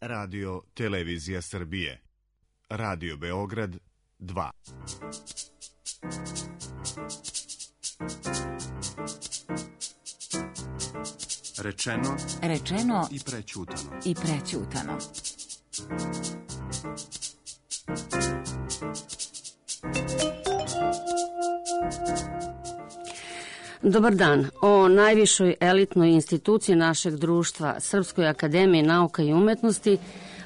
Radio Televizija Srbije. Radio Beograd 2. Rečeno i prećutano. Dobar dan. O najvišoj elitnoj instituciji našeg društva, Srpskoj akademiji nauka i umetnosti,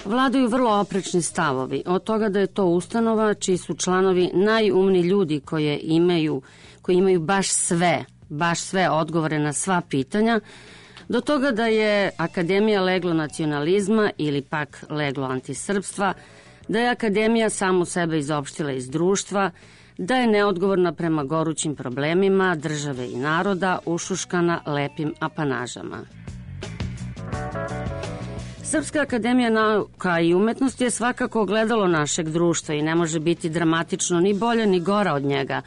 vladaju vrlo oprečni stavovi. Od toga da je to ustanova čiji su članovi najumniji ljudi koji imaju baš sve odgovore na sva pitanja, do toga da je akademija leglo nacionalizma ili pak leglo antisrpstva, da je akademija samu sebe izopštila iz društva, da je neodgovorna prema gorućim problemima države i naroda, ušuškana lepim apanažama. Srpska akademija nauka i umetnosti je svakako ogledalo našeg društva i ne može biti dramatično ni bolja ni gora od njega,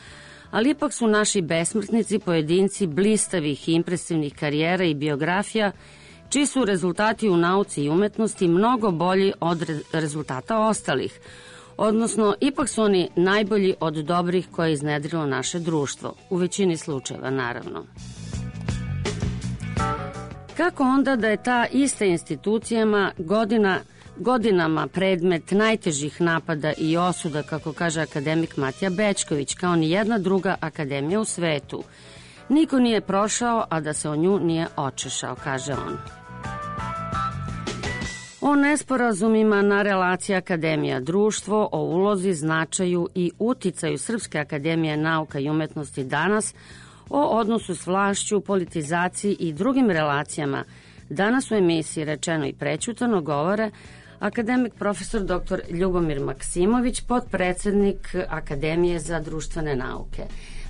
ali ipak su naši besmrtnici pojedinci blistavih i impresivnih karijera i biografija, čiji su rezultati u nauci i umetnosti mnogo bolji od rezultata ostalih, odnosno ipak su oni najbolji od dobrih koje je iznedrilo naše društvo, u većini slučajeva naravno. Kako onda da je ta ista institucijama godinama predmet najtežih napada i osuda, kako kaže akademik Matija Bećković, kao ni jedna druga akademija u svetu? Niko nije prošao, a da se o nju nije očešao, kaže on. O nesporazumima na relaciji akademija društvo, o ulozi, značaju i uticaju Srpske akademije nauka i umetnosti danas, o odnosu s vlašću, politizaciji i drugim relacijama, danas u emisiji Rečeno i prećutano govore akademik profesor dr. Ljubomir Maksimović, potpredsednik Akademije za društvene nauke.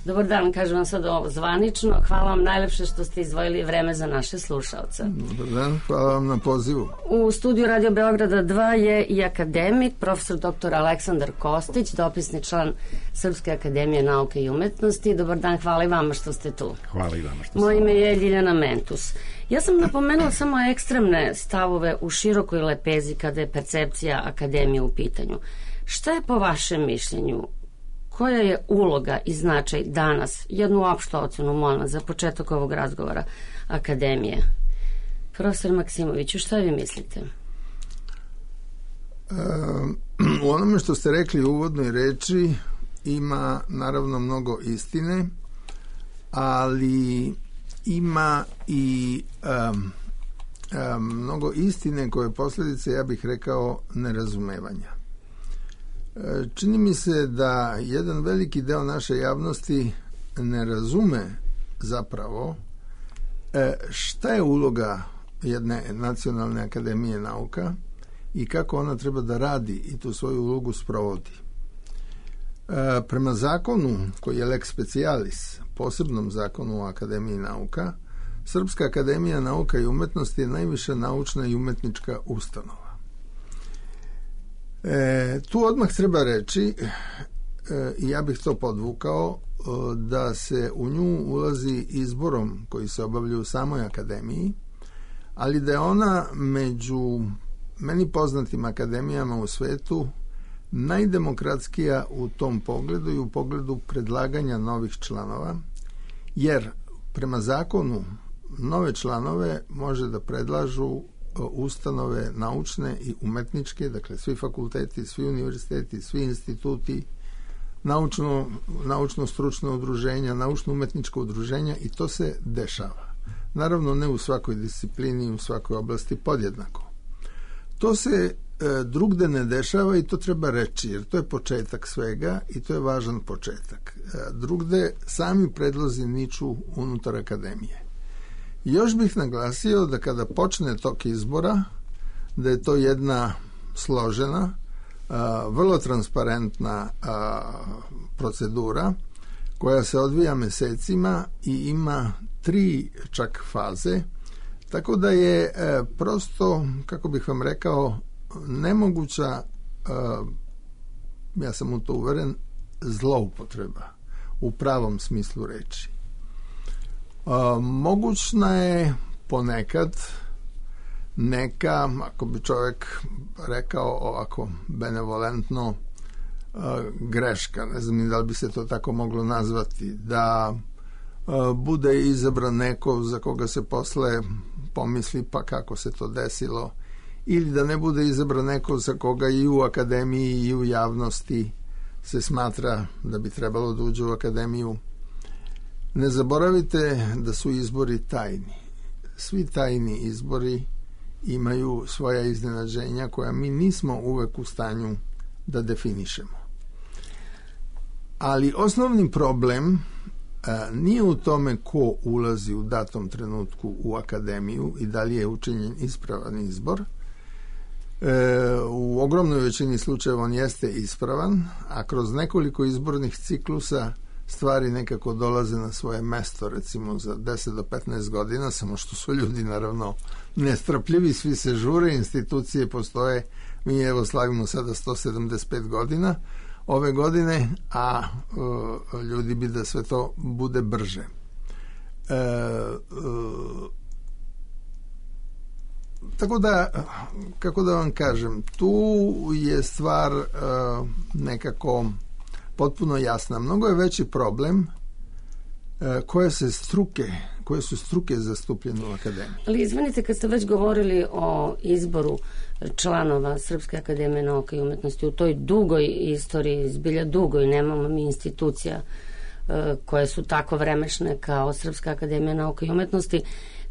Dobar dan, kažem vam sad ovo zvanično. Hvala vam najlepše što ste izdvojili vreme za naše slušalce. Dobar dan, hvala vam na pozivu. U studiju Radio Beograda 2 je i akademik, profesor dr. Aleksandar Kostić, dopisni član Srpske akademije nauke i umetnosti. Dobar dan, hvala i vama što ste tu. Hvala i vama što ste tu. Moje ime je Ljiljana Mentus. Ja sam napomenula samo ekstremne stavove u širokoj lepezi kada je percepcija akademije u pitanju. Šta je po vašem mišljenju? Koja je uloga i značaj danas, jednu opštu ocenu, molim vas, za početak ovog razgovora, akademije? Profesor Maksimoviću, šta vi mislite? U onome što ste rekli u uvodnoj reči ima naravno mnogo istine, ali ima i mnogo istine koje posljedice, ja bih rekao, nerazumevanja. Čini mi se da jedan veliki deo naše javnosti ne razume zapravo šta je uloga jedne nacionalne akademije nauka i kako ona treba da radi i tu svoju ulogu sprovodi. Prema zakonu koji je lex specialis, posebnom zakonu o Akademiji nauka, Srpska akademija nauka i umetnosti je najviša naučna i umetnička ustanova. Tu odmah treba reći, i ja bih to podvukao, da se u nju ulazi izborom koji se obavlja u samoj akademiji, ali da je ona među meni poznatim akademijama u svetu najdemokratskija u tom pogledu i u pogledu predlaganja novih članova, jer prema zakonu nove članove može da predlažu ustanove naučne i umetničke, dakle svi fakulteti, svi univerziteti, svi instituti, naučno-stručne udruženja, naučno-umetnička udruženja, i to se dešava. Naravno, ne u svakoj disciplini, u svakoj oblasti podjednako. To se drugde ne dešava i to treba reći, jer to je početak svega i to je važan početak. Drugde sami predlozi niču unutar akademije. Još bih naglasio da kada počne tok izbora, da je to jedna složena, vrlo transparentna procedura koja se odvija mesecima i ima 3 čak faze, tako da je prosto, kako bih vam rekao, nemoguća, ja sam u to uveren, zloupotreba u pravom smislu reči. Mogućna je ponekad neka, ako bi čovjek rekao ovako benevolentno, greška, ne znam ni da li bi se to tako moglo nazvati, da bude izabran neko za koga se posle pomisli pa kako se to desilo, ili da ne bude izabran neko za koga i u akademiji i u javnosti se smatra da bi trebalo da uđe u akademiju. Ne zaboravite da su izbori tajni. Svi tajni izbori imaju svoja iznenađenja koja mi nismo uvek u stanju da definišemo. Ali osnovni problem nije u tome ko ulazi u datom trenutku u akademiju i da li je učinjen ispravan izbor. U ogromnoj većini slučajeva on jeste ispravan, a kroz nekoliko izbornih ciklusa stvari nekako dolaze na svoje mesto, recimo za 10 do 15 godina, samo što su ljudi naravno nestrpljivi, svi se žure, institucije postoje, mi evo slavimo sada 175 godina ove godine, a ljudi bi da sve to bude brže. Tako da, kako da vam kažem, tu je stvar nekako potpuno jasna. Mnogo je veći problem koje su struke zastupljene u akademiji. Ali izvinite, kad ste već govorili o izboru članova Srpske akademije nauka i umetnosti u toj dugoj istoriji, zbilja dugoj, nemamo mi institucija koje su tako vremešne kao Srpska akademija nauka i umetnosti,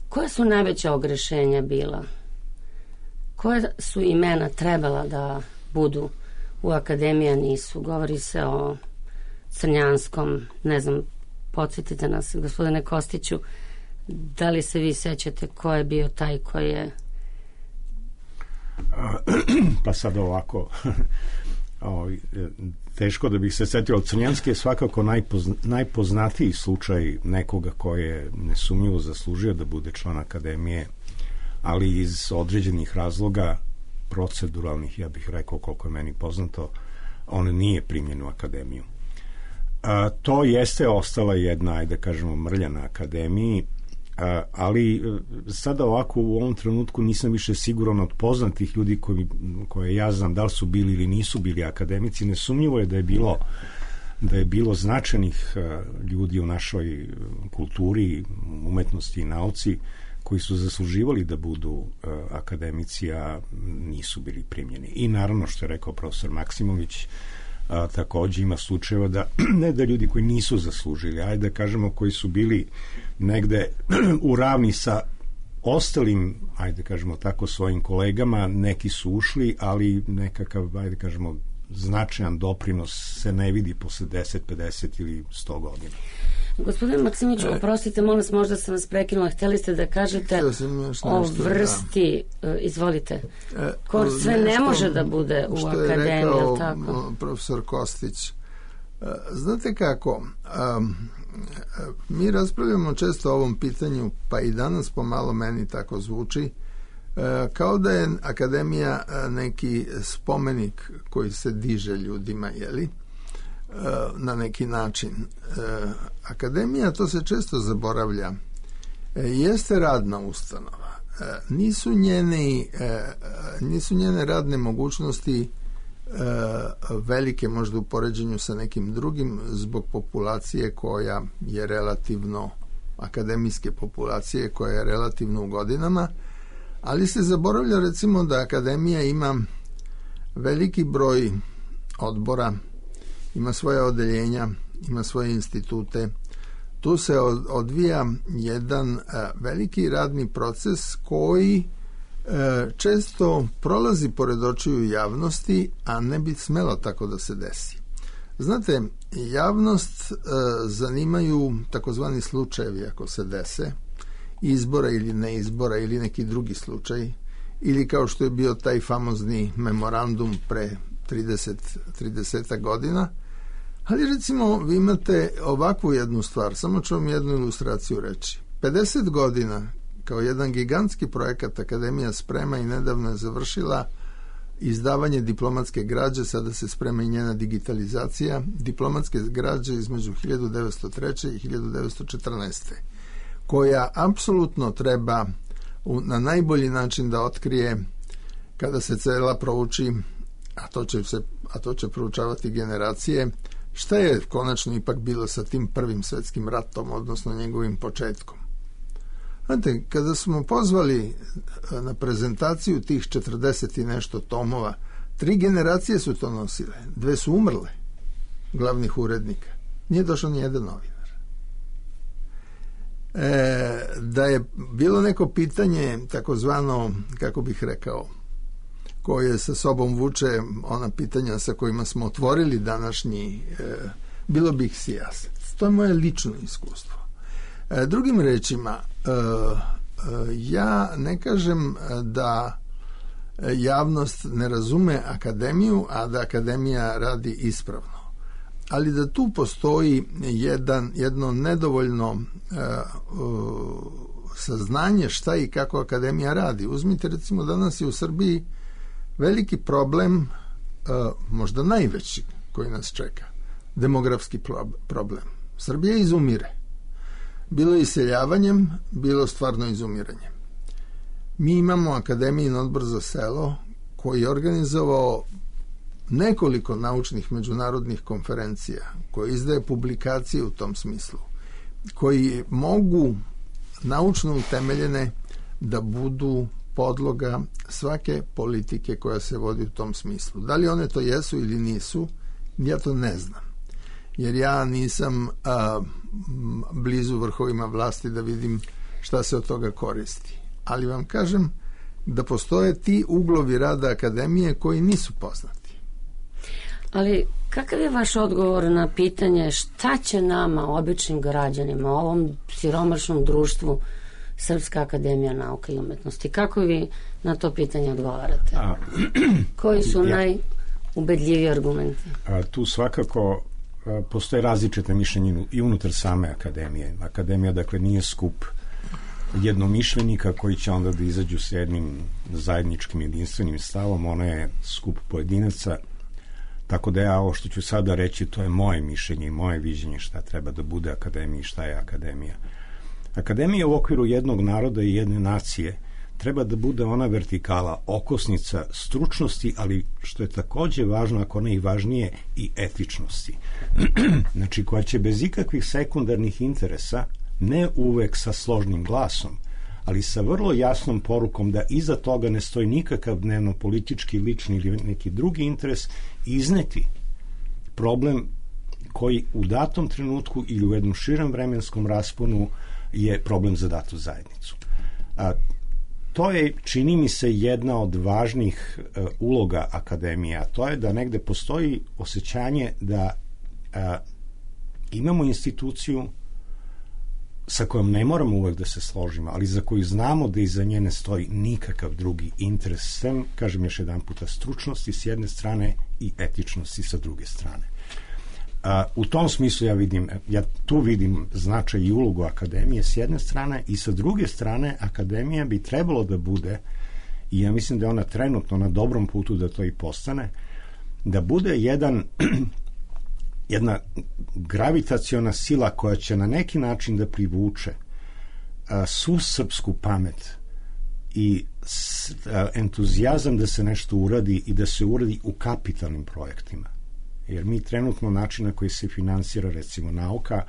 koje su najveća ogrešenja bila? Koje su imena trebala da budu u akademiji, nisu? Govori se o Crnjanskom, ne znam, podsjetite nas, gospodine Kostiću, da li se vi sećate ko je bio taj koji je... Pa sad ovako, teško da bih se setio, ali Crnjanski je svakako najpoznatiji slučaj nekoga koji je nesumnjivo zaslužio da bude član akademije, ali iz određenih razloga proceduralnih, ja bih rekao, koliko je meni poznato, on nije primljen u akademiju. To jeste ostala jedna, ajde kažemo, mrlja na akademiji, ali sada ovako u ovom trenutku nisam više siguran od poznatih ljudi koje ja znam da li su bili ili nisu bili akademici. Nesumnjivo je da je bilo značajnih ljudi u našoj kulturi, umetnosti i nauci koji su zasluživali da budu akademici, a nisu bili primljeni. I naravno, što je rekao profesor Maksimović, takođe ima slučajeva da ne da ljudi koji nisu zaslužili, ajde da kažemo koji su bili negde u ravni sa ostalim, ajde da kažemo tako, svojim kolegama, neki su ušli, ali nekakav, ajde da kažemo, značajan doprinos se ne vidi posle 10, 50 ili 100 godina. Gospodin Maksimović, oprostite, molim vas, možda sam vas prekinula, htjeli ste da kažete o vrsti, izvolite, ko sve ne može da bude u akademiji, što je tako? rekao profesor Kostić. Znate kako, mi raspravljamo često o ovom pitanju, pa i danas pomalo meni tako zvuči, kao da je akademija neki spomenik koji se diže ljudima, jeli? Na neki način. Akademija, to se često zaboravlja, jeste radna ustanova. Nisu njene radne mogućnosti velike možda u poređenju sa nekim drugim zbog populacije koja je relativno, akademijske populacije koja je relativno u godinama, ali se zaboravlja recimo da akademija ima veliki broj odbora, ima svoje odeljenja, ima svoje institute. Tu se odvija jedan veliki radni proces koji često prolazi pored očiju javnosti, a ne bi smelo tako da se desi. Znate, javnost zanimaju takozvani slučajevi ako se dese, izbora ili neizbora ili neki drugi slučaj, ili kao što je bio taj famozni memorandum pre 30 godina. Ali recimo vi imate ovakvu jednu stvar, samo ću vam jednu ilustraciju reći. 50 godina kao jedan gigantski projekat Akademija sprema i nedavno je završila izdavanje diplomatske građe, sada se sprema i njena digitalizacija, diplomatske građe između 1903. i 1914. koja apsolutno treba na najbolji način da otkrije, kada se cela prouči, a to će proučavati generacije, šta je konačno ipak bilo sa tim prvim svetskim ratom, odnosno njegovim početkom. Znate, kada smo pozvali na prezentaciju tih 40 i nešto tomova, 3 generacije su to nosile, 2 su umrle, glavnih urednika. Nije došao ni jedan novinar. Da je bilo neko pitanje, takozvano, kako bih rekao, koje sa sobom vuče ona pitanja sa kojima smo otvorili današnji, bilo bi ih sijaset. To je moje lično iskustvo. Drugim rečima, ja ne kažem da javnost ne razume akademiju, a da akademija radi ispravno. Ali da tu postoji jedno nedovoljno saznanje šta i kako akademija radi. Uzmite, recimo, danas je u Srbiji veliki problem, možda najveći koji nas čeka, demografski problem. Srbija izumire. Bilo iseljavanjem, bilo stvarno izumiranjem. Mi imamo Akademijin odbor za selo koji je organizovao nekoliko naučnih međunarodnih konferencija, koji izdaje publikacije u tom smislu, koji mogu naučno utemeljene da budu podloga svake politike koja se vodi u tom smislu. Da li one to jesu ili nisu, ja to ne znam. Jer ja nisam blizu vrhovima vlasti da vidim šta se od toga koristi. Ali vam kažem da postoje ti uglovi rada akademije koji nisu poznati. Ali kakav je vaš odgovor na pitanje šta će nama, običnim građanima, ovom siromašnom društvu, Srpska akademija nauka i umetnosti? Kako vi na to pitanje odgovarate? Koji su najubedljiviji argumenti? Tu svakako postoje različite mišljenje i unutar same akademije. Akademija, dakle, nije skup jednomišljenika koji će onda da izađu s jednim zajedničkim jedinstvenim stavom. Ona je skup pojedinaca, tako da ja ovo što ću sada reći, to je moje mišljenje i moje viđenje šta treba da bude akademija i šta je akademija. Akademija u okviru jednog naroda i jedne nacije treba da bude ona vertikala, okosnica stručnosti, ali što je takođe važno, ako ne i važnije, i etičnosti. Znači, koja će bez ikakvih sekundarnih interesa, ne uvek sa složnim glasom, ali sa vrlo jasnom porukom da iza toga ne stoji nikakav dnevno-politički, lični ili neki drugi interes, izneti problem koji u datom trenutku ili u jednom širem vremenskom rasponu je problem za datu zajednicu. To je, čini mi se, jedna od važnih uloga akademije, a to je da negde postoji osjećanje da imamo instituciju sa kojom ne moramo uvek da se složimo, ali za koju znamo da iza nje ne stoji nikakav drugi interes, sem, kažem još jedan puta, stručnosti s jedne strane i etičnosti sa druge strane. U tom smislu ja tu vidim značaj i ulogu akademije s jedne strane, i sa druge strane akademija bi trebalo da bude, i ja mislim da je ona trenutno na dobrom putu da to i postane, da bude jedna gravitaciona sila koja će na neki način da privuče svu srpsku pamet i entuzijazam da se nešto uradi i da se uradi u kapitalnim projektima. Jer mi trenutno način na koji se finansira, recimo, nauka,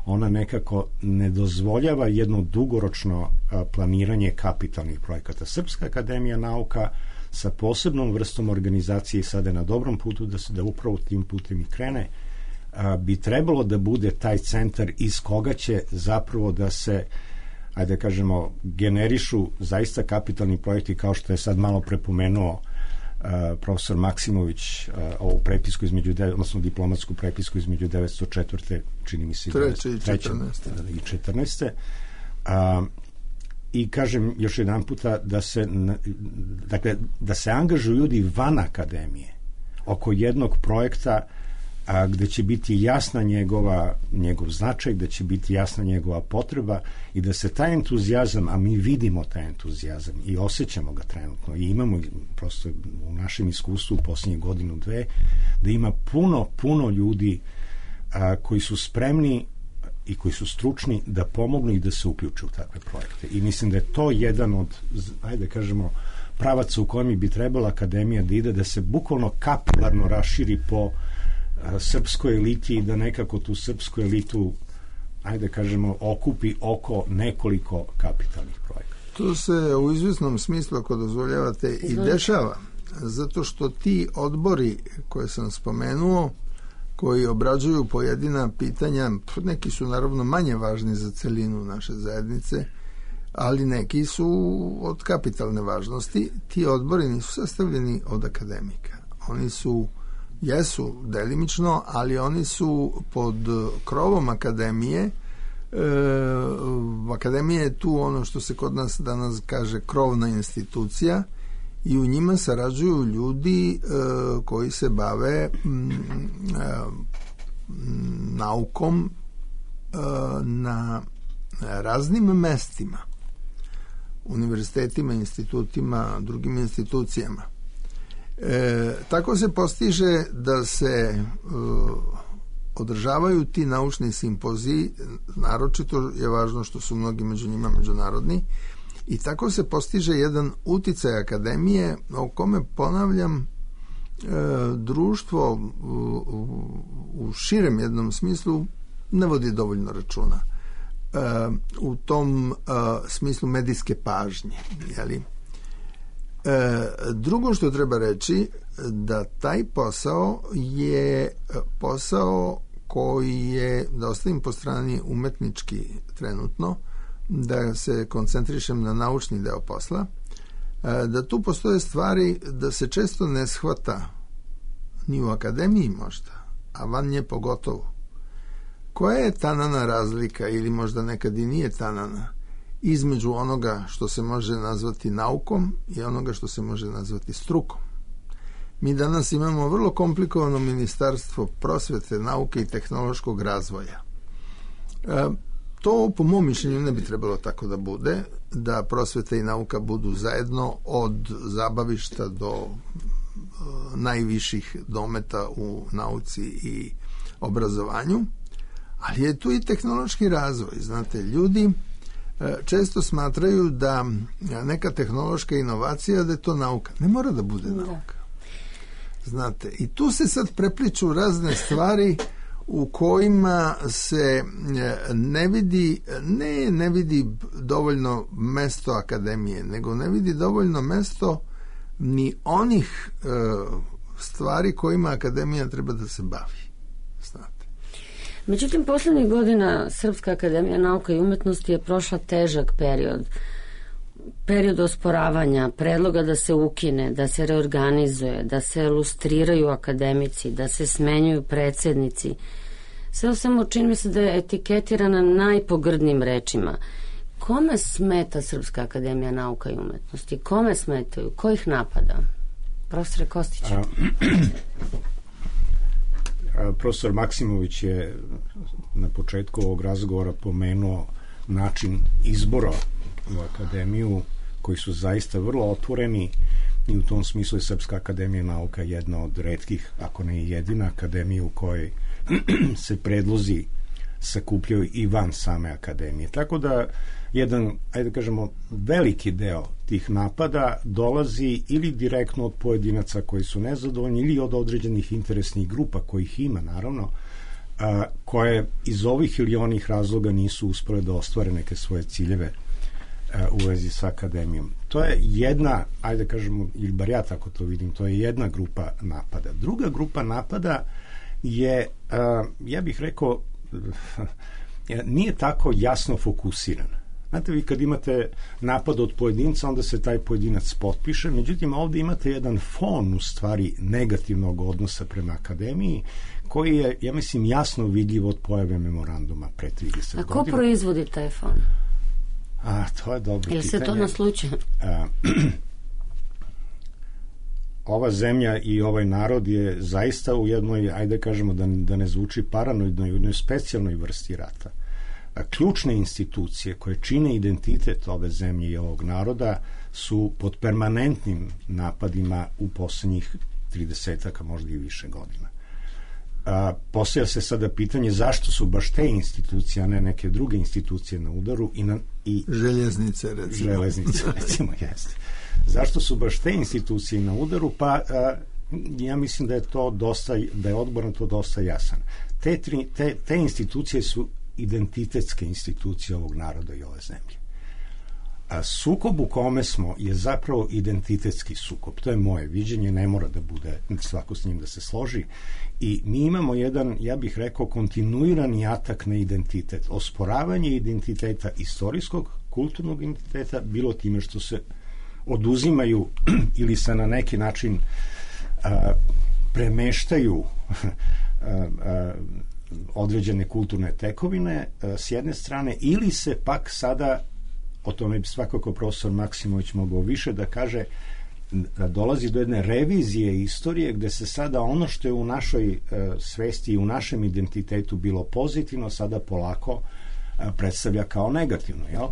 ona nekako ne dozvoljava jedno dugoročno planiranje kapitalnih projekata. Srpska akademija nauka sa posebnom vrstom organizacije sada je na dobrom putu da upravo tim putem i krene, bi trebalo da bude taj centar iz koga će zapravo da se, ajde da kažemo, generišu zaista kapitalni projekti, kao što je sad malo prepomenuo profesor Maksimović ovu prepisku odnosno diplomatsku prepisku između 1904. čini mi se 3. i 14. I kažem još jedan puta da se angažuju ljudi van akademije oko jednog projekta gde će biti jasna njegov značaj, gde će biti jasna njegova potreba i da se taj entuzijazam, a mi vidimo taj entuzijazam i osjećamo ga trenutno i imamo prosto u našem iskustvu u posljednjih godinu, dve, da ima puno ljudi koji su spremni i koji su stručni da pomognu i da se uključe u takve projekte. I mislim da je to jedan od, ajde kažemo, pravaca u kojem bi trebala akademija da ide, da se bukvalno kapilarno raširi po srpskoj eliti i da nekako tu srpsku elitu, ajde kažemo, okupi oko nekoliko kapitalnih projekata. To se u izvjesnom smislu, ako dozvoljavate, i dešava. Zato što ti odbori koje sam spomenuo, koji obrađuju pojedina pitanja, neki su naravno manje važni za celinu naše zajednice, ali neki su od kapitalne važnosti. Ti odbori nisu sastavljeni od akademika. Oni jesu delimično, ali oni su pod krovom akademije. Akademija je tu ono što se kod nas danas kaže krovna institucija i u njima sarađuju ljudi koji se bave naukom na raznim mestima, univerzitetima, institutima, drugim institucijama. Tako se postiže da se održavaju ti naučni simpoziji, naročito je važno što su mnogi među njima međunarodni, i tako se postiže jedan uticaj akademije o kome, ponavljam, društvo u širem jednom smislu ne vodi dovoljno računa. U tom smislu medijske pažnje. Jeli? Drugo što treba reći, da taj posao je posao koji je, da ostavim po strani umetnički trenutno, da se koncentrišem na naučni deo posla, da tu postoje stvari da se često ne shvata ni u akademiji možda, a van nje pogotovo. Koja je tanana razlika, ili možda nekad i nije tanana, između onoga što se može nazvati naukom i onoga što se može nazvati strukom? Mi danas imamo vrlo komplikovano ministarstvo prosvete, nauke i tehnološkog razvoja. To, po mom mišljenju, ne bi trebalo tako da bude, da prosveta i nauka budu zajedno od zabavišta do najviših dometa u nauci i obrazovanju, ali je tu i tehnološki razvoj. Znate, ljudi često smatraju da neka tehnološka inovacija, da je to nauka. Ne mora da bude nauka. Znate, i tu se sad prepliču razne stvari u kojima se ne vidi dovoljno mesto akademije, nego ne vidi dovoljno mesto ni onih stvari kojima akademija treba da se bavi. Znate. Međutim, poslednjih godina Srpska akademija nauka i umetnosti je prošla težak period osporavanja, predloga da se ukine, da se reorganizuje, da se lustriraju akademici, da se smenjuju predsednici. Sve samo čini mi se da je etiketirana najpogrdnijim rečima. Kome smeta Srpska akademija nauka i umetnosti? Kome smetaju? Ko ih napada? Profesore Kostiću. Profesor Maksimović je na početku ovog razgovora pomenuo način izbora u akademiju, koji su zaista vrlo otvoreni, i u tom smislu je Srpska akademija nauka jedna od retkih, ako ne i jedina akademija u kojoj se predlozi sakupljaju i van same akademije. Tako da jedan, ajde kažemo, veliki deo tih napada dolazi ili direktno od pojedinaca koji su nezadovoljni ili od određenih interesnih grupa, kojih ima naravno, koje iz ovih ili onih razloga nisu uspele da ostvare neke svoje ciljeve u vezi sa akademijom. To je jedna, ajde kažemo, ili bar ja tako to vidim, to je jedna grupa napada. Druga grupa napada je, ja bih rekao, nije tako jasno fokusirana. Znate, vi kad imate napad od pojedinca, onda se taj pojedinac potpiše, međutim ovde imate jedan fon, u stvari, negativnog odnosa prema akademiji, koji je, ja mislim, jasno vidljiv od pojave memoranduma pre 30 godina. A ko proizvodi taj fon? To je dobro pitanje. Ili se to naslučuje? Ova zemlja i ovaj narod je zaista u jednoj, ajde kažemo da ne zvuči paranoidno, u jednoj specijalnoj vrsti rata. Ključne institucije koje čine identitet ove zemlje i ovog naroda su pod permanentnim napadima u poslednjih 30-aka, možda i više godina. Postavlja se sada pitanje zašto su baš te institucije, a ne neke druge institucije na udaru i željeznice, recimo, jeste. Zašto su baš te institucije na udaru? Pa ja mislim da je odbor na to dosta jasan. Te institucije su identitetske institucije ovog naroda i ove zemlje. Sukob u kome smo je zapravo identitetski sukob. To je moje viđenje, ne mora da bude svako s njim da se složi. I mi imamo jedan, ja bih rekao, kontinuirani atak na identitet. Osporavanje identiteta istorijskog, kulturnog identiteta, bilo time što se oduzimaju ili se na neki način premeštaju određene kulturne tekovine s jedne strane, ili se pak sada, o tome bi svakako profesor Maksimović mogao više da kaže, da dolazi do jedne revizije istorije gde se sada ono što je u našoj svesti i u našem identitetu bilo pozitivno, sada polako predstavlja kao negativno. Jel?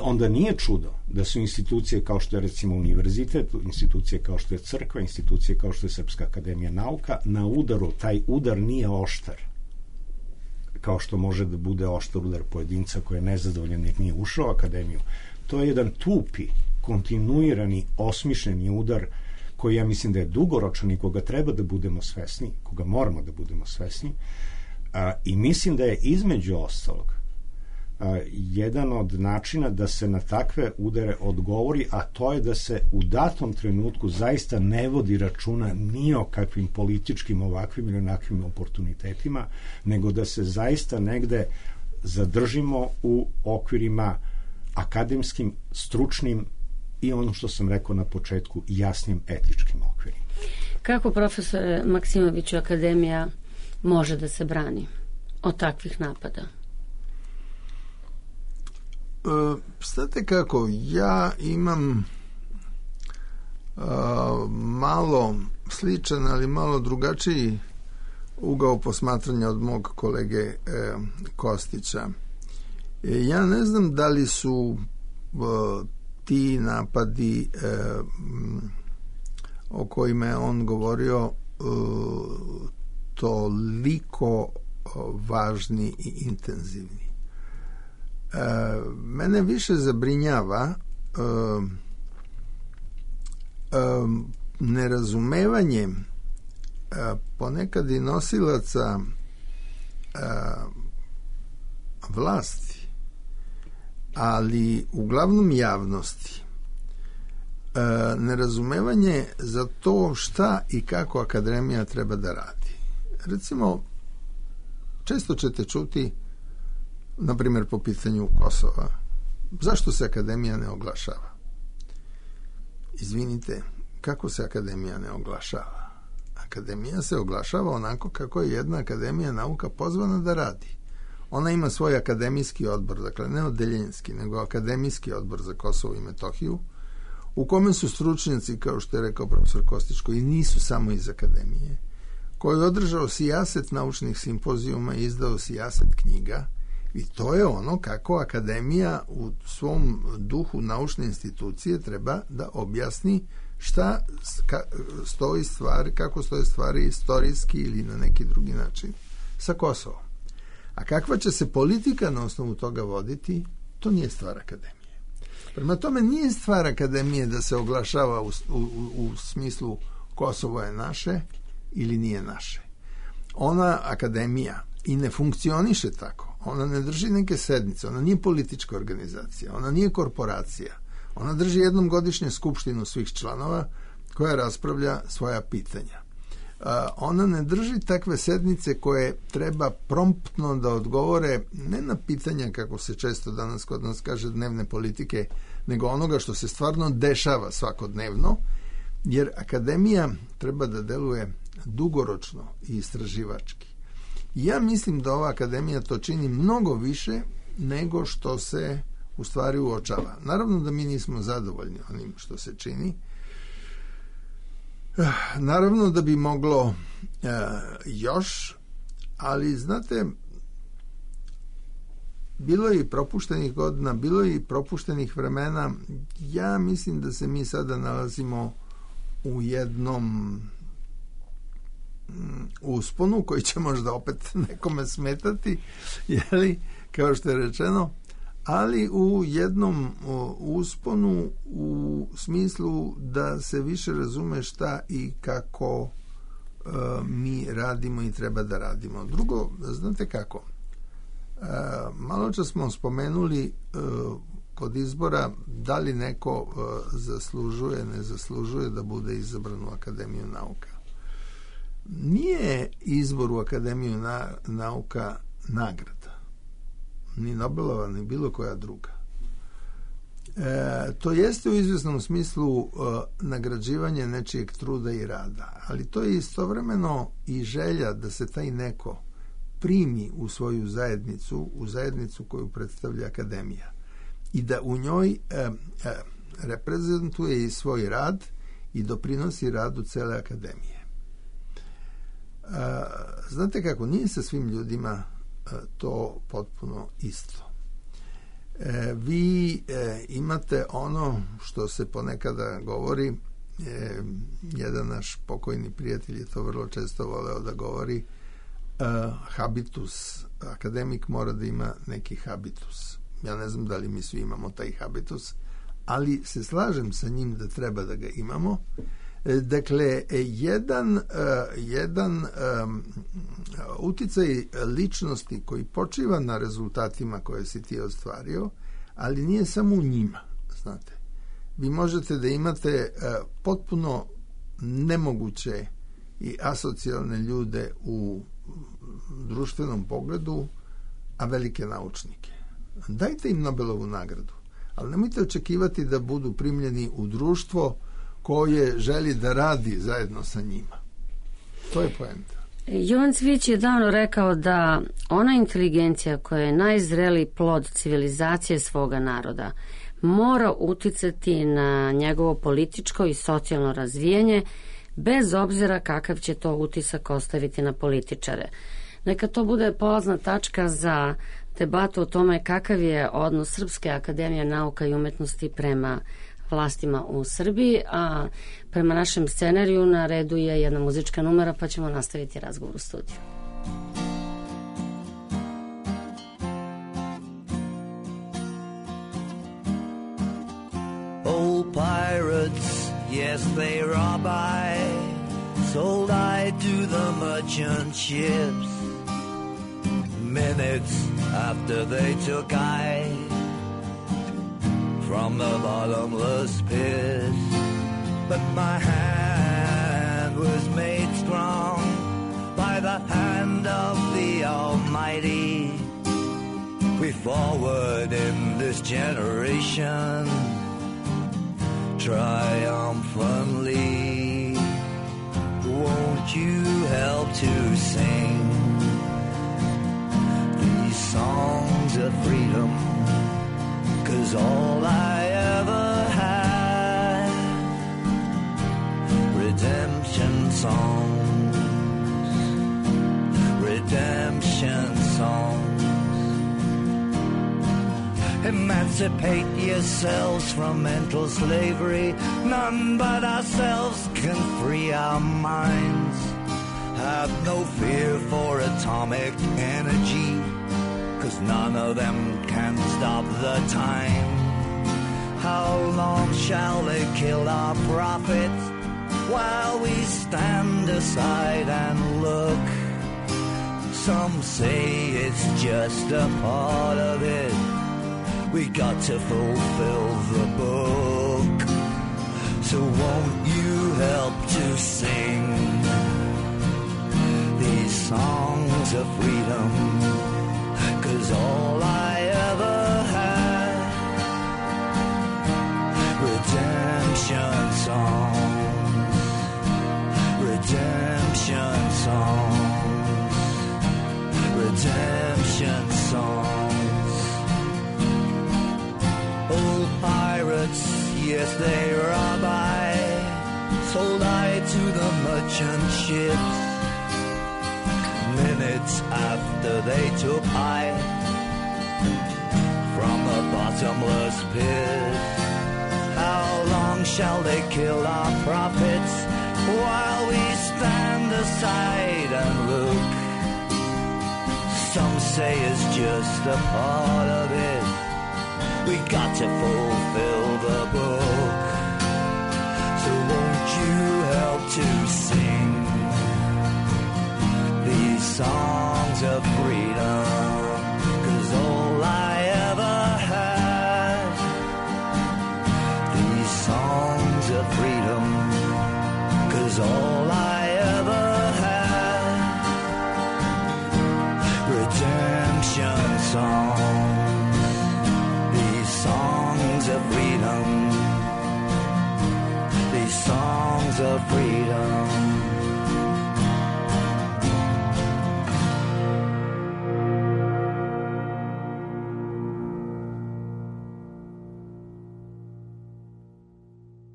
Onda nije čudo da su institucije kao što je recimo univerzitet, institucije kao što je crkva, institucije kao što je Srpska akademija nauka na udaru. Taj udar nije oštar kao što može da bude oštar udar pojedinca koji je nezadovoljan jer nije ušao u akademiju. To je jedan tupi, kontinuirani, osmišljeni udar koji ja mislim da je dugoročan i koga treba da budemo svesni, koga moramo da budemo svesni, i mislim da je između ostalog jedan od načina da se na takve udare odgovori, a to je da se u datom trenutku zaista ne vodi računa ni o kakvim političkim ovakvim ili onakvim oportunitetima, nego da se zaista negde zadržimo u okvirima akademskim, stručnim i ono što sam rekao na početku, jasnim etičkim okvirima. Kako, profesore Maksimoviću, akademija može da se brani od takvih napada? Znate kako, ja imam malo sličan, ali malo drugačiji ugao posmatranja od mog kolege Kostića. Ja ne znam da li su ti napadi o kojima je on govorio toliko važni i intenzivni. Mene više zabrinjava nerazumevanje ponekad i nosilaca vlasti, ali uglavnom javnosti, nerazumevanje za to šta i kako akademija treba da radi. Recimo, često ćete čuti, na primjer po pitanju Kosova, zašto se akademija ne oglašava? Izvinite, kako se akademija ne oglašava? Akademija se oglašava onako kako je jedna akademija nauka pozvana da radi. Ona ima svoj akademijski odbor, dakle ne odeljenski, nego akademijski odbor za Kosovo i Metohiju, u kome su stručnjaci, kao što je rekao profesor Kostić, koji nisu samo iz akademije, koji je održao sijaset naučnih simpozijuma i izdao sijaset knjiga, i to je ono kako akademija u svom duhu naučne institucije treba da objasni šta stoji stvari, kako stoje stvari istorijski ili na neki drugi način sa Kosovom. A kakva će se politika na osnovu toga voditi, to nije stvar akademije. Prema tome, nije stvar akademije da se oglašava u smislu Kosovo je naše ili nije naše. Ona, akademija, i ne funkcioniše tako. Ona ne drži neke sednice, ona nije politička organizacija, ona nije korporacija. Ona drži jednom godišnje skupštinu svih članova koja raspravlja svoja pitanja. Ona ne drži takve sednice koje treba promptno da odgovore ne na pitanja, kako se često danas kod nas kaže, dnevne politike, nego onoga što se stvarno dešava svakodnevno, jer akademija treba da deluje dugoročno i istraživački. Ja mislim da ova akademija to čini mnogo više nego što se u stvari uočava. Naravno da mi nismo zadovoljni onim što se čini. Naravno da bi moglo još, ali znate, bilo je i propuštenih godina, bilo je i propuštenih vremena. Ja mislim da se mi sada nalazimo u jednom usponu koji će možda opet nekome smetati, jeli, kao što je rečeno, ali u jednom usponu u smislu da se više razume šta i kako mi radimo i treba da radimo. Drugo, znate kako, malo čas smo spomenuli kod izbora da li neko zaslužuje, ne zaslužuje da bude izabran u Akademiju nauka. Nije izbor u Akademiju nauka nagrada, ni Nobelova, ni bilo koja druga. To jeste u izvjesnom smislu nagrađivanje nečijeg truda i rada, ali to je istovremeno i želja da se taj neko primi u svoju zajednicu, u zajednicu koju predstavlja Akademija i da u njoj reprezentuje i svoj rad i doprinosi radu cele Akademije. Znate kako, nije sa svim ljudima to potpuno isto. Vi imate ono što se ponekada govori, jedan naš pokojni prijatelj je to vrlo često voleo da govori, habitus. Akademik mora da ima neki habitus. Ja ne znam da li mi svi imamo taj habitus, ali se slažem sa njim da treba da ga imamo. Dakle, jedan uticaj ličnosti koji počiva na rezultatima koje si ti ostvario, ali nije samo u njima, znate. Vi možete da imate potpuno nemoguće i asocijalne ljude u društvenom pogledu, a velike naučnike. Dajte im Nobelovu nagradu, ali nemojte očekivati da budu primljeni u društvo koje želi da radi zajedno sa njima. To je poenta. Jovan Cvijić je davno rekao da ona inteligencija koja je najzreliji plod civilizacije svoga naroda mora uticati na njegovo političko i socijalno razvijanje bez obzira kakav će to utisak ostaviti na političare. Neka to bude polazna tačka za debatu o tome kakav je odnos Srpske akademije nauka i umetnosti prema vlastima u Srbiji, a prema našem scenariju na redu je jedna muzička numera, pa ćemo nastaviti razgovor u studiju. Old pirates, yes they rob I, sold I to the merchant ships. Minutes after they took I from the bottomless pit, but my hand was made strong by the hand of the Almighty. We forward in this generation triumphantly. Won't you help to sing these songs of freedom? 'Cause all I ever had, redemption songs, redemption songs. Emancipate yourselves from mental slavery. None but ourselves can free our minds. Have no fear for atomic energy, 'cause none of them can stop the time. How long shall they kill our prophets while we stand aside and look? Some say it's just a part of it. We got to fulfill the book. So won't you help to sing these songs of freedom? 'Cause all I ever had, redemption songs, redemption songs, redemption songs. Old pirates, yes they rob I, sold I to the merchant ships. Minutes after they took I from a bottomless pit. How long shall they kill our prophets while we stand aside say is just a part of it. We got to fulfill the book. So won't you help to sing these songs of freedom? 'Cause all I ever had, these songs of freedom. 'Cause all I ever had, redemption songs, these songs of freedom, these songs of freedom.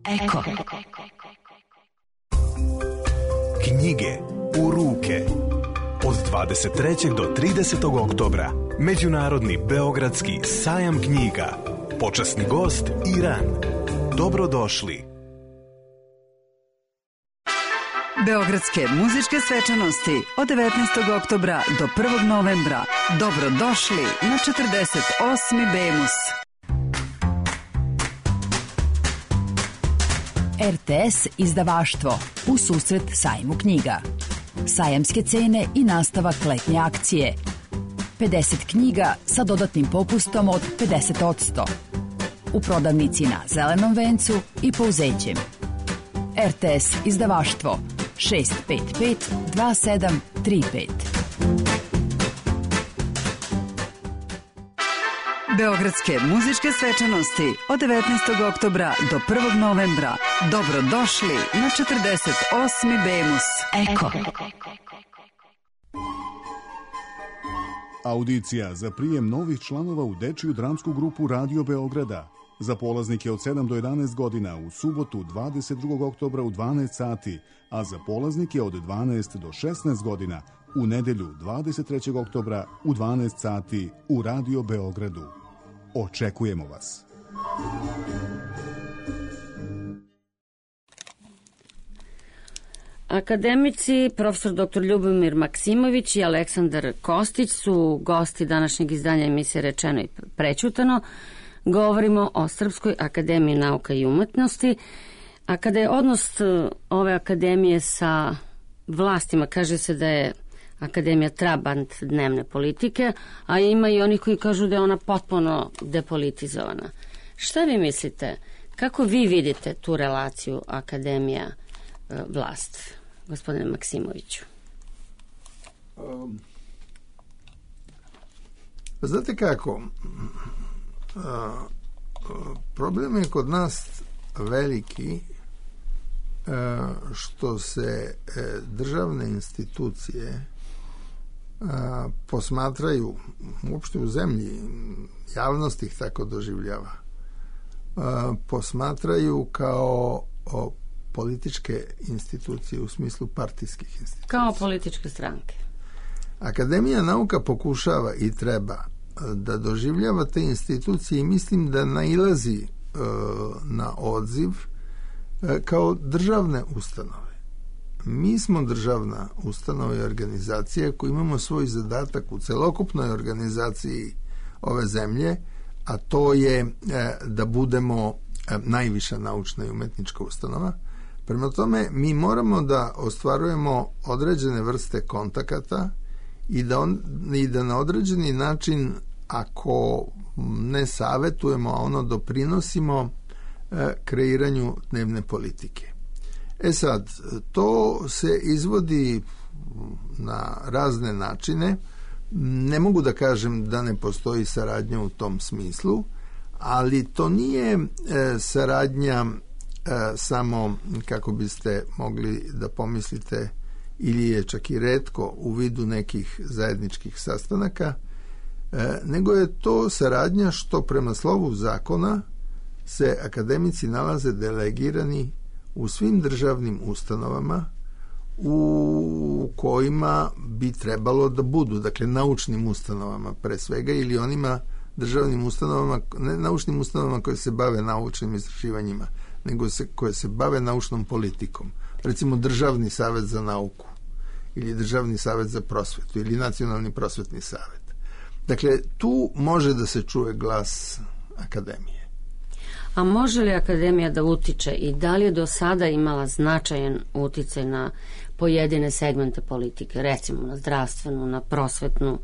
Eko. Knjige u ruke. Od 23. do 30. oktobra Međunarodni beogradski sajam knjiga. Počasni gost Iran. Dobrodošli. Beogradske muzičke svečanosti od 19. oktobra do 1. novembra. Dobrodošli na 48. Bemus. RTS izdavaštvo u susret sajmu knjiga. Sajamske cene i nastavak letnje akcije. 50 knjiga sa dodatnim popustom od 50%. U prodavnici na Zelenom vencu i Pouzećem. RTS izdavaštvo 655 2735. Beogradske muzičke svečanosti od 19. oktobra do 1. novembra. Dobrodošli na 48. Bemus. Eko. Audicija za prijem novih članova u dečiju dramsku grupu Radio Beograda. Za polaznike od 7 do 11 godina u subotu 22. oktobra u 12 sati, a za polaznike od 12 do 16 godina u nedelju 23. oktobra u 12 sati u Radio Beogradu. Očekujemo vas. Akademici profesor dr. Ljubomir Maksimović i Aleksandar Kostić su gosti današnjeg izdanja emisije Rečeno i prećutano. Govorimo o Srpskoj akademiji nauka i umetnosti. A kada je odnos ove akademije sa vlastima, kaže se da je akademija trabant dnevne politike, a ima i onih koji kažu da je ona potpuno depolitizovana. Šta vi mislite? Kako vi vidite tu relaciju akademija vlast, gospodine Maksimoviću? Znate kako, problem je kod nas veliki što se državne institucije posmatraju, uopšte u zemlji, javnost ih tako doživljava, posmatraju kao političke institucije u smislu partijskih institucija. Kao političke stranke. Akademija nauka pokušava i treba da doživljava te institucije i mislim da nailazi na odziv kao državne ustanove. Mi smo državna ustanova i organizacija koja imamo svoj zadatak u celokupnoj organizaciji ove zemlje, a to je da budemo najviša naučna i umetnička ustanova. Prema tome, mi moramo da ostvarujemo određene vrste kontakata i da na određeni način, ako ne savetujemo, a ono doprinosimo kreiranju dnevne politike. Sad, to se izvodi na razne načine. Ne mogu da kažem da ne postoji saradnja u tom smislu, ali to nije saradnja samo, kako biste mogli da pomislite, ili je čak i retko u vidu nekih zajedničkih sastanaka, nego je to saradnja što prema slovu zakona se akademici nalaze delegirani u svim državnim ustanovama u kojima bi trebalo da budu, dakle naučnim ustanovama pre svega, ili onima državnim ustanovama, ne naučnim ustanovama koje se bave naučnim istraživanjima, nego koje se bave naučnom politikom. Recimo Državni savet za nauku ili Državni savet za prosvetu ili Nacionalni prosvetni savet. Dakle, tu može da se čuje glas akademije. A može li akademija da utiče i da li je do sada imala značajan uticaj na pojedine segmente politike, recimo na zdravstvenu, na prosvetnu,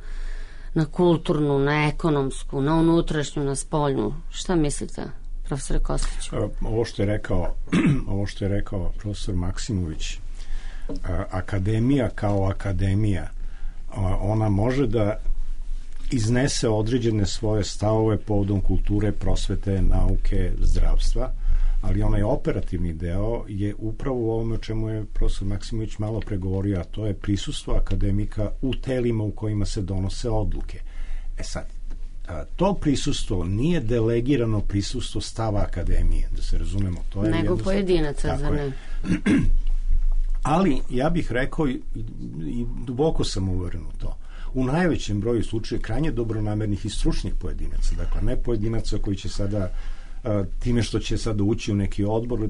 na kulturnu, na ekonomsku, na unutrašnju, na spoljnu? Šta mislite, profesore Kostiću? Ovo što je rekao profesor Maksimović, akademija kao akademija, ona može da iznese određene svoje stavove povodom kulture, prosvete, nauke, zdravstva, ali onaj operativni deo je upravo u ovome o čemu je profesor Maksimović malo pregovorio, a to je prisustvo akademika u telima u kojima se donose odluke. Sad, to prisustvo nije delegirano prisustvo stava akademije, da se razumemo. To je nego pojedinaca, za ne. Ali, ja bih rekao, i duboko sam uveren u to, u najvećem broju slučaja krajnje dobronamernih i stručnih pojedinaca, dakle ne pojedinaca koji će sada time što će sada ući u neki odbor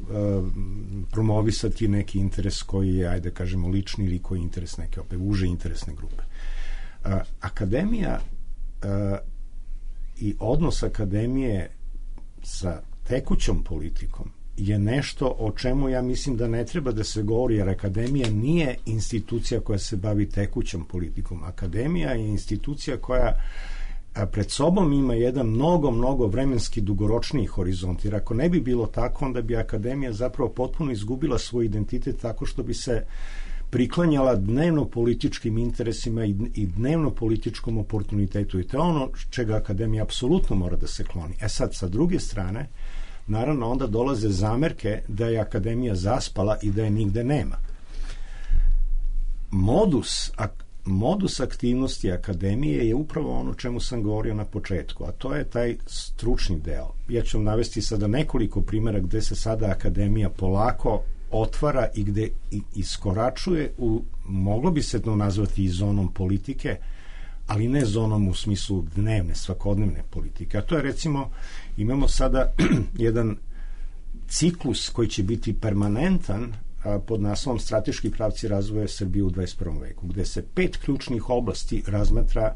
promovisati neki interes koji je, ajde kažemo, lični ili koji je interes neke uže interesne grupe. Akademija i odnos akademije sa tekućom politikom je nešto o čemu ja mislim da ne treba da se govori, jer akademija nije institucija koja se bavi tekućom politikom. Akademija je institucija koja pred sobom ima jedan mnogo vremenski dugoročniji horizont, jer ako ne bi bilo tako, onda bi akademija zapravo potpuno izgubila svoj identitet tako što bi se priklanjala dnevno političkim interesima i dnevno političkom oportunitetu, i to je ono čega akademija apsolutno mora da se kloni. Sad, sa druge strane, naravno onda dolaze zamerke da je akademija zaspala i da je nigde nema. Modus aktivnosti akademije je upravo ono čemu sam govorio na početku, a to je taj stručni deo. Ja ću vam navesti sada nekoliko primjera gde se sada akademija polako otvara i gde iskoračuje u, moglo bi se to nazvati i zonom politike, ali ne zonom u smislu dnevne, svakodnevne politike. A to je, recimo, imamo sada jedan ciklus koji će biti permanentan pod naslovom Strateški pravci razvoja Srbije u 21. veku, gde se 5 ključnih oblasti razmatra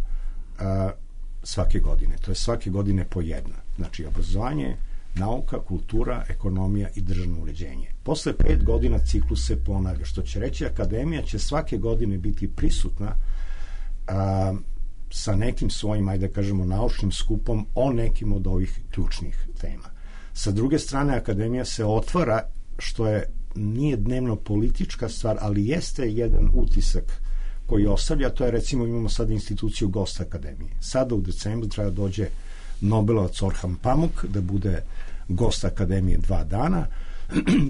svake godine. To je svake godine po jedna. Znači, obrazovanje, nauka, kultura, ekonomija i državno uređenje. Posle 5 godina ciklus se ponavlja, što će reći akademija će svake godine biti prisutna sa nekim svojim, ajde da kažemo, naučnim skupom o nekim od ovih ključnih tema. Sa druge strane, akademija se otvara, što nije dnevno politička stvar, ali jeste jedan utisak koji ostavlja, to je, recimo, imamo sada instituciju gosta akademije. Sada u decembru treba dođe Nobelovac Orhan Pamuk da bude gost akademije 2 dana,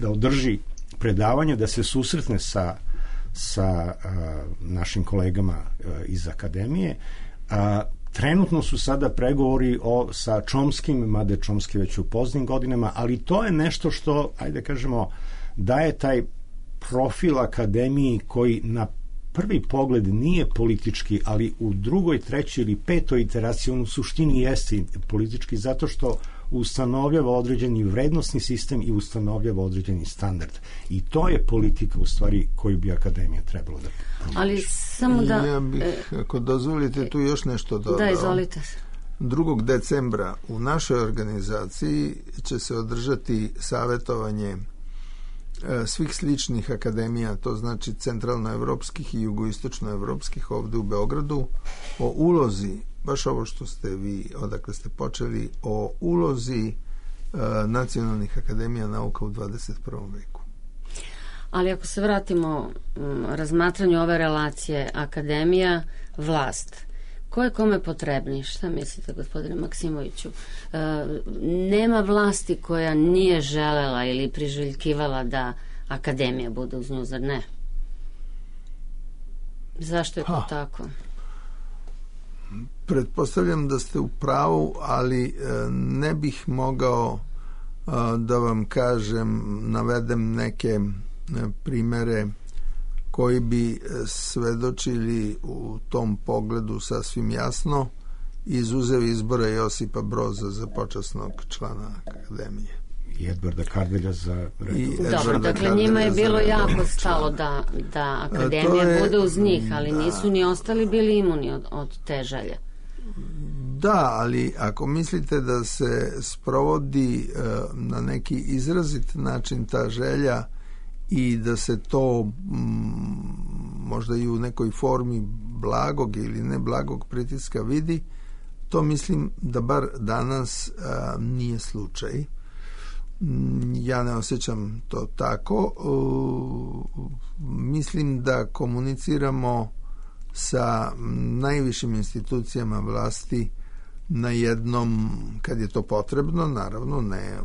da održi predavanje, da se susretne sa našim kolegama iz akademije. Trenutno su sada pregovori sa Čomskim, mada Čomski već u poznim godinama, ali to je nešto što, ajde kažemo, daje taj profil akademiji koji na prvi pogled nije politički, ali u drugoj, trećoj ili petoj iteraciji on u suštini jeste politički, zato što ustanovljava određeni vrednosni sistem i ustanovljava određeni standard. I to je politika, u stvari, koju bi akademija trebalo da promoviše. Ali samo da... Ja bih, ako dozvolite, tu još nešto dodao. Da, izvolite. 2. decembra u našoj organizaciji će se održati savjetovanje svih sličnih akademija, to znači centralnoevropskih i jugoistočnoevropskih ovde u Beogradu, o ulozi, baš ovo što ste vi, odakle ste počeli, o ulozi nacionalnih akademija nauka u 21. veku. Ali ako se vratimo razmatranju ove relacije akademija, vlast, ko je kome potrebni? Šta mislite, gospodine Maksimoviću? Nema vlasti koja nije želela ili priželjkivala da akademija bude uz nju, zar ne? Zašto je to tako? Pretpostavljam da ste u pravu, ali ne bih mogao da vam kažem, navedem neke primere koji bi svedočili u tom pogledu sasvim jasno, izuzev izbora Josipa Broza za počasnog člana akademije. I Edvarda Kardelja za... Dobro, dakle njima je bilo jako stalo da akademija bude uz njih, ali nisu ni ostali bili imuni od te želje. Da, ali ako mislite da se sprovodi na neki izrazit način ta želja i da se to možda i u nekoj formi blagog ili ne blagog pritiska vidi, to mislim da bar danas nije slučaj. Ja ne osjećam to tako. Mislim da komuniciramo sa najvišim institucijama vlasti na jednom, kad je to potrebno, naravno ne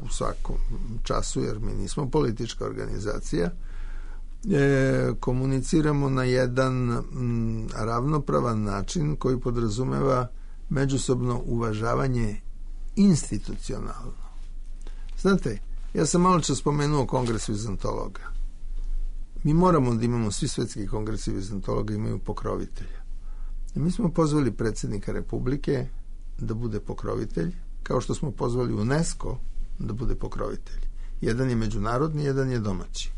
u svakom času, jer mi nismo politička organizacija, komuniciramo na jedan ravnopravan način koji podrazumeva međusobno uvažavanje institucionalno. Znate, ja sam malo čas spomenuo kongres vizantologa. Mi moramo da imamo, svi svetski kongresi vizantologa imaju pokrovitelja. I mi smo pozvali predsjednika Republike da bude pokrovitelj, kao što smo pozvali UNESCO da bude pokrovitelj. Jedan je međunarodni, jedan je domaći.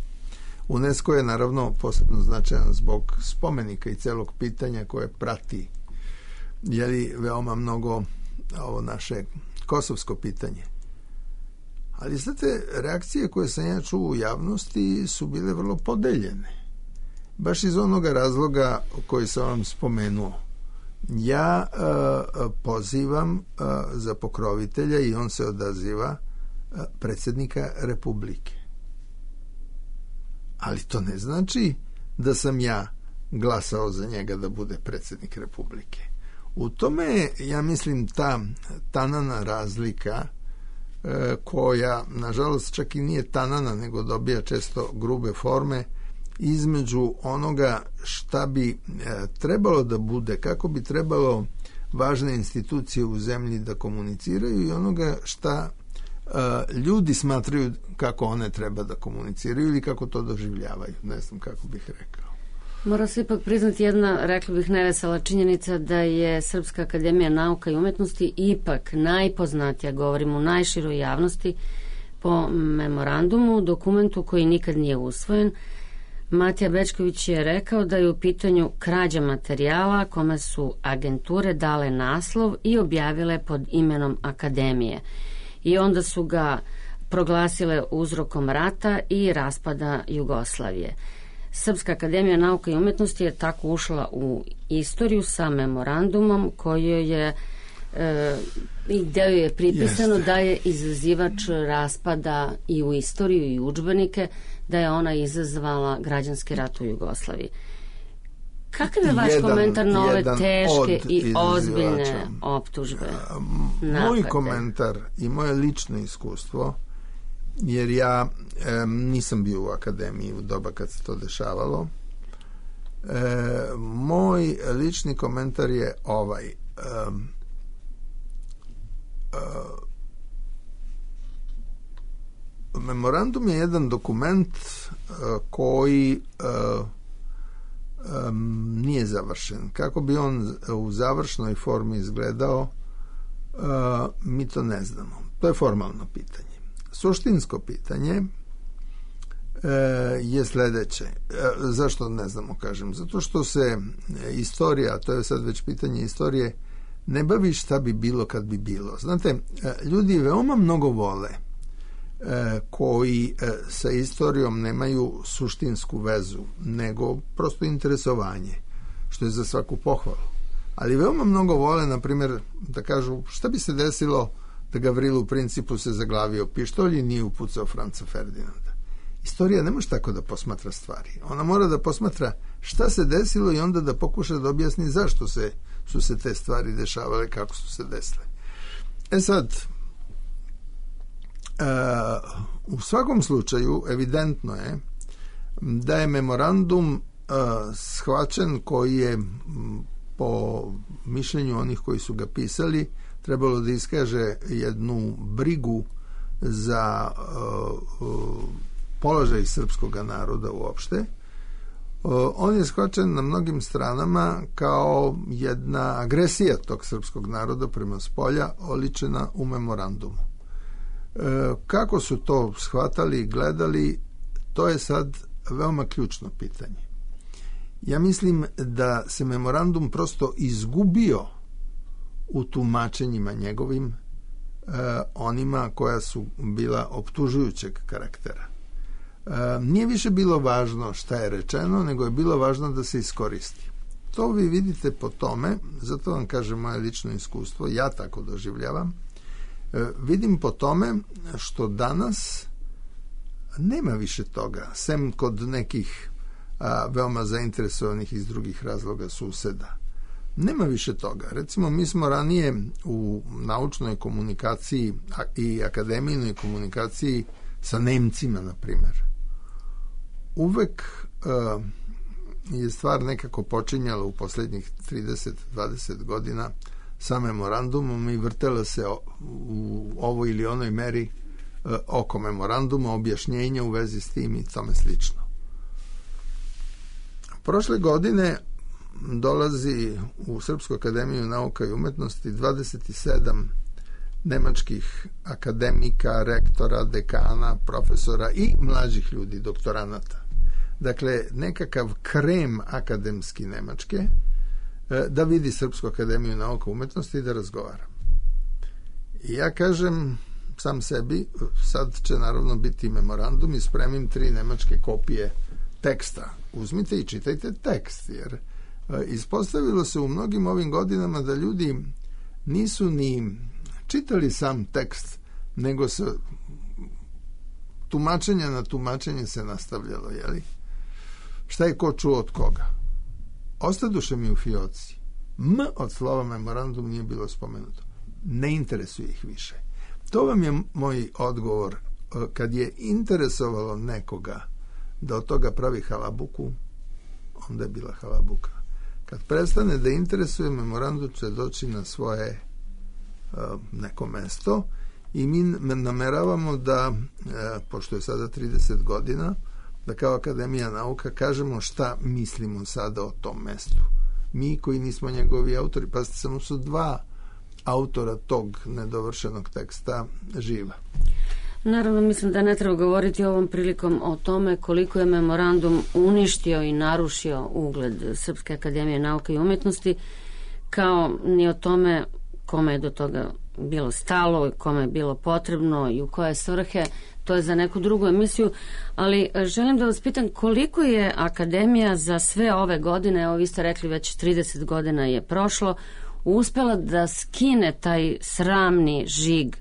UNESCO je naravno posebno značajan zbog spomenika i celog pitanja koje prati veoma mnogo ovo naše kosovsko pitanje. Ali znate, reakcije koje sam ja čuo u javnosti su bile vrlo podeljene. Baš iz onoga razloga koji sam vam spomenuo. Ja pozivam za pokrovitelja i on se odaziva predsjednika Republike. Ali to ne znači da sam ja glasao za njega da bude predsjednik Republike. U tome je, ja mislim, ta tanana razlika koja, nažalost, čak i nije tanana, nego dobija često grube forme, između onoga šta bi trebalo da bude, kako bi trebalo važne institucije u zemlji da komuniciraju i onoga šta ljudi smatraju kako one treba da komuniciraju ili kako to doživljavaju. Ne znam kako bih rekao. Mora se ipak priznati jedna, rekla bih, nevesela činjenica da je Srpska akademija nauka i umetnosti ipak najpoznatija, govorim u najširoj javnosti, po memorandumu, dokumentu koji nikad nije usvojen. Matija Bečković je rekao da je u pitanju krađa materijala kome su agenture dale naslov i objavile pod imenom Akademije. I onda su ga proglasile uzrokom rata i raspada Jugoslavije. Srpska akademija nauka i umetnosti je tako ušla u istoriju sa memorandumom koji je i gde je pripisano da je izazivač raspada i u istoriju i u udžbenike, da je ona izazvala građanski rat u Jugoslaviji. Kakav je vaš komentar na ove teške i ozbiljne optužbe? Moj komentar i moje lično iskustvo, jer ja nisam bio u akademiji u doba kad se to dešavalo, moj lični komentar je ovaj. Memorandum je jedan dokument koji nije završen. Kako bi on u završnoj formi izgledao, mi to ne znamo. To je formalno pitanje. Suštinsko pitanje je sledeće. Zašto ne znamo, kažem? Zato što se istorija, to je sad već pitanje istorije, ne bavi šta bi bilo kad bi bilo. Znate, ljudi veoma mnogo vole koji sa istorijom nemaju suštinsku vezu, nego prosto interesovanje, što je za svaku pohvalu. Ali veoma mnogo vole, na primjer, da kažu šta bi se desilo da Gavrilu Principu se zaglavio pištolj i nije upucao Franca Ferdinanda. Istorija ne može tako da posmatra stvari. Ona mora da posmatra šta se desilo i onda da pokuša da objasni zašto su se te stvari dešavale, kako su se desile. Sad, u svakom slučaju evidentno je da je memorandum shvaćen, koji je po mišljenju onih koji su ga pisali trebalo da iskaže jednu brigu za položaj srpskog naroda uopšte. On je shvaćen na mnogim stranama kao jedna agresija tog srpskog naroda prema spolja, oličena u memorandumu. Kako su to shvatali i gledali, to je sad veoma ključno pitanje. Ja mislim da se memorandum prosto izgubio u tumačenjima njegovim, onima koja su bila optužujućeg karaktera. Nije više bilo važno šta je rečeno, nego je bilo važno da se iskoristi. To vi vidite po tome, zato vam kažem moje lično iskustvo, ja tako doživljavam, vidim po tome što danas nema više toga, sem kod nekih veoma zainteresovanih iz drugih razloga suseda. Nema više toga. Recimo, mi smo ranije u naučnoj komunikaciji i akademijnoj komunikaciji sa Nemcima, na primjer. Uvek je stvar nekako počinjala u posljednjih 30-20 godina sa memorandumom i vrtela se u ovoj ili onoj meri oko memoranduma, objašnjenja u vezi s tim i tome slično. Prošle godine dolazi u Srpsku akademiju nauka i umetnosti 27 nemačkih akademika, rektora, dekana, profesora i mlađih ljudi, doktoranata. Dakle, nekakav krem akademski Nemačke da vidi Srpsku akademiju nauka i umetnosti i da razgovara. I ja kažem sam sebi, sad će naravno biti memorandum i spremim 3 nemačke kopije teksta. Uzmite i čitajte tekst, jer ispostavilo se u mnogim ovim godinama da ljudi nisu ni čitali sam tekst, nego se tumačenje na tumačenje se nastavljalo, jeli? Šta je ko čuo od koga? Ostaduše mi u fioci. Od slova memorandum nije bilo spomenuto. Ne interesuje ih više. To vam je moj odgovor. Kad je interesovalo nekoga da od toga pravi halabuku, onda je bila halabuka. Kad prestane da interesuje, memorandum će doći na svoje neko mesto i mi nameravamo da, pošto je sada 30 godina, da kao Akademija nauka kažemo šta mislimo sada o tom mestu. Mi koji nismo njegovi autori, pa samo su 2 autora tog nedovršenog teksta živa. Naravno, mislim da ne treba govoriti ovom prilikom o tome koliko je memorandum uništio i narušio ugled Srpske akademije nauke i umetnosti, kao ni o tome kome je do toga bilo stalo, kome je bilo potrebno i u koje svrhe. To je za neku drugu emisiju, ali želim da vas pitam koliko je akademija za sve ove godine, evo vi ste rekli već 30 godina je prošlo, uspela da skine taj sramni žig,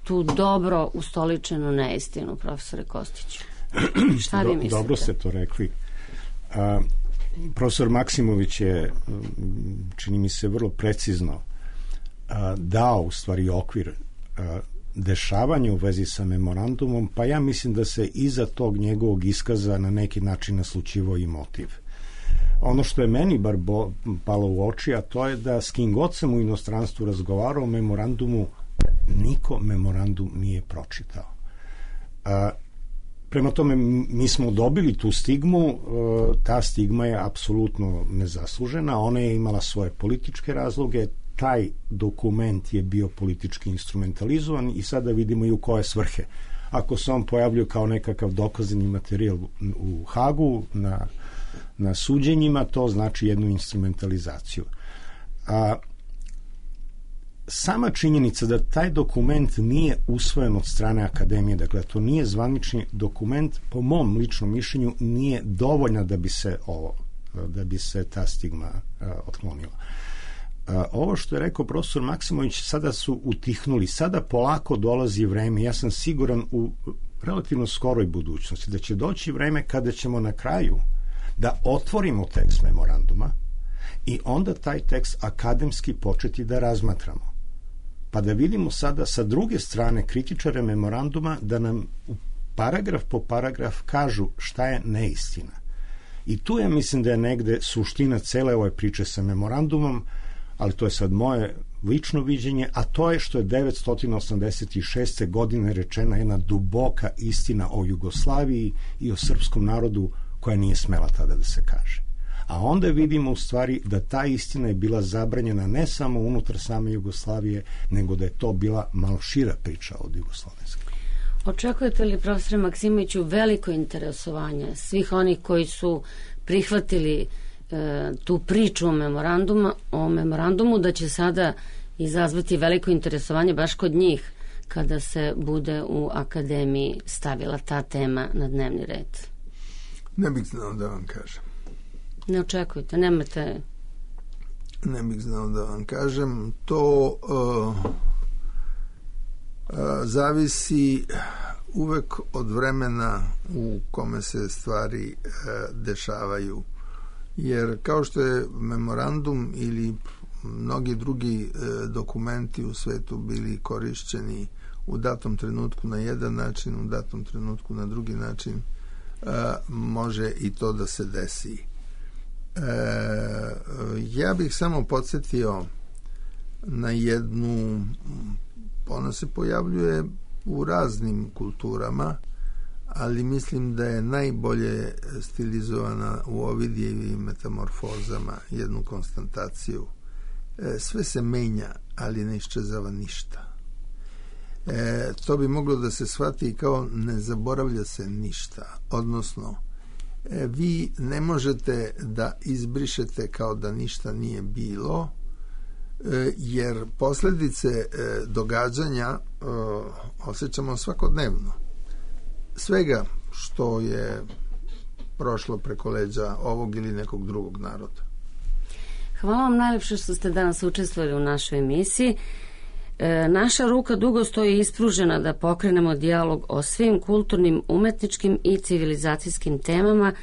tu dobro ustoličenu neistinu, profesore Kostiću. Šta vi mislite? Dobro ste to rekli. Profesor Maksimović je, čini mi se, vrlo precizno dao u stvari okvir dešavanja u vezi sa memorandumom, pa ja mislim da se iza tog njegovog iskaza na neki način naslućivao i motiv. Ono što je meni bar palo u oči, a to je da s kim god sam u inostranstvu razgovarao o memorandumu, niko memorandum nije pročitao. Prema tome, mi smo dobili tu stigmu, ta stigma je apsolutno nezaslužena, ona je imala svoje političke razloge, taj dokument je bio politički instrumentalizovan i sada vidimo i u koje svrhe. Ako se on pojavljuje kao nekakav dokazani materijal u Hagu na suđenjima, to znači jednu instrumentalizaciju. Sama činjenica da taj dokument nije usvojen od strane akademije, dakle to nije zvanični dokument, po mom ličnom mišljenju nije dovoljna da bi se ta stigma otklonila. Ovo što je rekao profesor Maksimović, sada su utihnuli, sada polako dolazi vreme, ja sam siguran u relativno skoroj budućnosti da će doći vreme kada ćemo na kraju da otvorimo tekst memoranduma i onda taj tekst akademski početi da razmatramo. Pa da vidimo sada sa druge strane kritičare memoranduma da nam paragraf po paragraf kažu šta je neistina. I tu ja mislim da je negde suština cele ove priče sa memorandumom, ali to je sad moje lično viđenje, a to je što je 986. godine rečena jedna duboka istina o Jugoslaviji i o srpskom narodu koja nije smela tada da se kaže. A onda vidimo u stvari da ta istina je bila zabranjena ne samo unutar same Jugoslavije, nego da je to bila malo šira priča od jugoslovenske. Očekujete li, profesore Maksimoviću, veliko interesovanje svih onih koji su prihvatili tu priču o memorandumu, da će sada izazvati veliko interesovanje baš kod njih kada se bude u akademiji stavila ta tema na dnevni red? Ne bih znao da vam kažem. Ne očekujte, nemate... Ne bih znao da vam kažem. To zavisi uvek od vremena u kome se stvari dešavaju. Jer kao što je memorandum ili mnogi drugi dokumenti u svetu bili korišćeni u datom trenutku na jedan način, u datom trenutku na drugi način, može i to da se desi. Ja bih samo podsjetio na jednu, ona se pojavljuje u raznim kulturama, ali mislim da je najbolje stilizovana u Ovidijevim metamorfozama, jednu konstantaciju. Sve se menja, ali ne iščezava ništa. To bi moglo da se shvati kao ne zaboravlja se ništa, odnosno vi ne možete da izbrišete kao da ništa nije bilo, jer posljedice događanja osjećamo svakodnevno. Svega što je prošlo preko leđa ovog ili nekog drugog naroda. Hvala vam najlepše što ste danas učestvovali u našoj emisiji. Naša ruka dugo stoji ispružena da pokrenemo dijalog o svim kulturnim, umetničkim i civilizacijskim temama,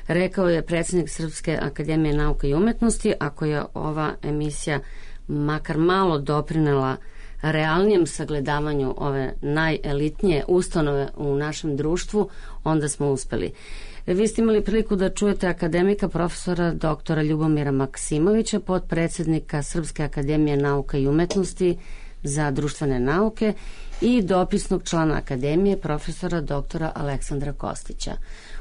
rekao je predsjednik Srpske akademije nauka i umetnosti. Ako je ova emisija makar malo doprinela realnijem sagledavanju ove najelitnije ustanove u našem društvu, onda smo uspeli. Vi ste imali priliku da čujete akademika profesora doktora Ljubomira Maksimovića, potpredsjednika Srpske akademije nauka i umetnosti za društvene nauke i dopisnog člana akademije profesora doktora Aleksandra Kostića.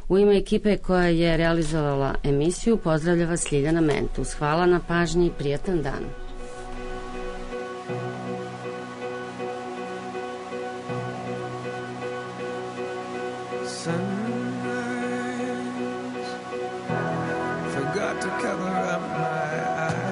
U ime ekipe koja je realizovala emisiju pozdravlja vas Ljiljana Mentus. Hvala na pažnji i prijatan dan. Forgot to cover up my eyes.